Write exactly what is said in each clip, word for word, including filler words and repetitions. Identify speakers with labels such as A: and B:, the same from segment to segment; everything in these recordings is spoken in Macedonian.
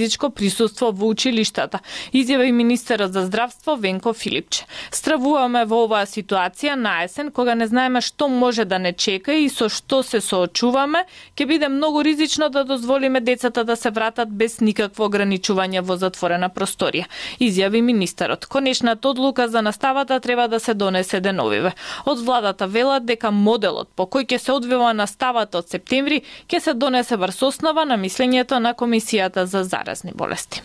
A: физичко присуство во училиштата, изјави министерот за здравство Венко Филипче. Стравуваме во оваа ситуација на есен, кога не знаеме што може да не чека и со што се соочуваме, ќе биде многу ризично да дозволиме децата да се вратат без никакво ограничување во затворена просторија, изјави министерот. Конечната одлука за наставата треба да се донесе деновиве. Од владата велат дека моделот по кој ќе се одвива наставата од септември ќе се донесе врз основа на мислењето на Комисијата за заразни болести.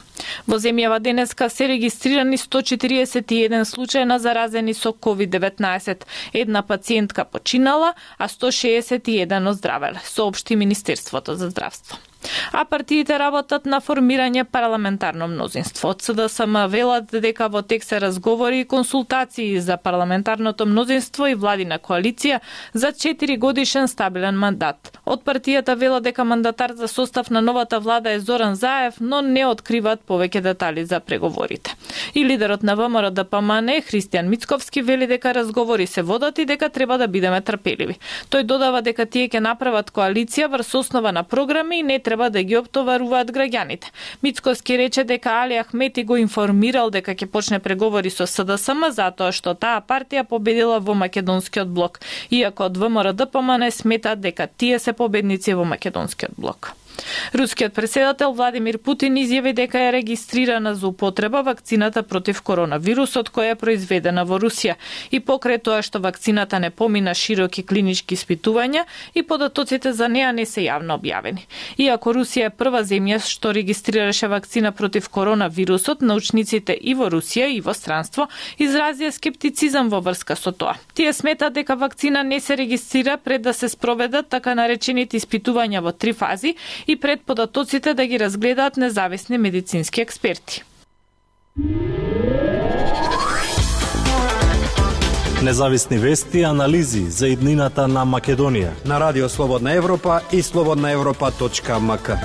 A: Во земјава денеска се регистрирани сто четириесет и еден случај на заразени со ковид деветнаесет. Една пациентка починала, а сто шеесет и еден оздравеле, соопшти Министерството за здравство. А партиите работат на формирање парламентарно мнозинство. Од СДСМ велат дека во тек се разговори и консултации за парламентарното мнозинство и владина коалиција за четири годишен стабилен мандат. Од партијата велат дека мандатар за состав на новата влада е Зоран Заев, но не откриваат повеќе детали за преговорите. И лидерот на ВМРО Д П М Н Христијан Мицковски вели дека разговори се водат и дека треба да бидеме трпеливи. Тој додава дека тие ќе направат коалиција врз основа на програми и не треба да ги оптоваруваат граѓаните. Мицковски рече дека Али Ахмети го информирал дека ќе почне преговори со СДСМ затоа што таа партија победила во македонскиот блок, иако од ВМРО Д П М Н сметат дека тие се победници во македонскиот блок. Рускиот претседател Владимир Путин изјави дека е регистрирана за употреба вакцината против коронавирусот која е произведена во Русија и покрај тоа што вакцината не помина широки клинички испитувања и податоците за неа не се јавно објавени. Иако Русија е прва земја што регистрираше вакцина против коронавирусот, научниците и во Русија и во странство изразија скептицизам во врска со тоа. Тие сметат дека вакцина не се регистрира пред да се спроведат така наречените испитувања во три фази и пред податоците да ги разгледаат независни медицински експерти.
B: Независни вести и анализи за иднината на Македонија
C: на Радио Слободна Европа и слободна европа точка м к.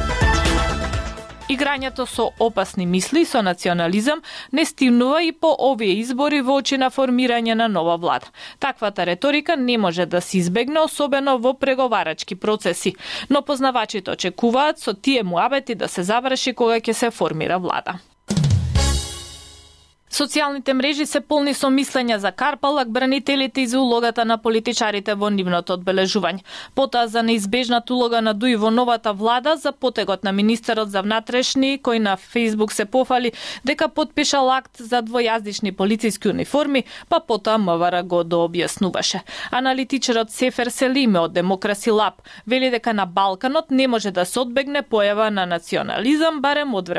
A: Играњето со опасни мисли, со национализам, не стимнува и по овие избори во очи на формирање на нова влада. Таквата реторика не може да се избегне, особено во преговарачки процеси, но познавачите очекуваат со тие муабети да се заврши кога ќе се формира влада. Социјалните мрежи се полни со мислења за Карпалак, бранителите и за улогата на политичарите во нивното одбележување. Потоа за неизбежната улога на Дуи во новата влада, за потегот на министерот за внатрешни, кој на Фејсбук се пофали дека подпишал акт за двојазични полициски униформи, па потоа МВР го дообјаснуваше. Аналитичарот Сефер Селиме од Демокраси Лаб вели дека на Балканот не може да се одбегне појава на национализам, барем од време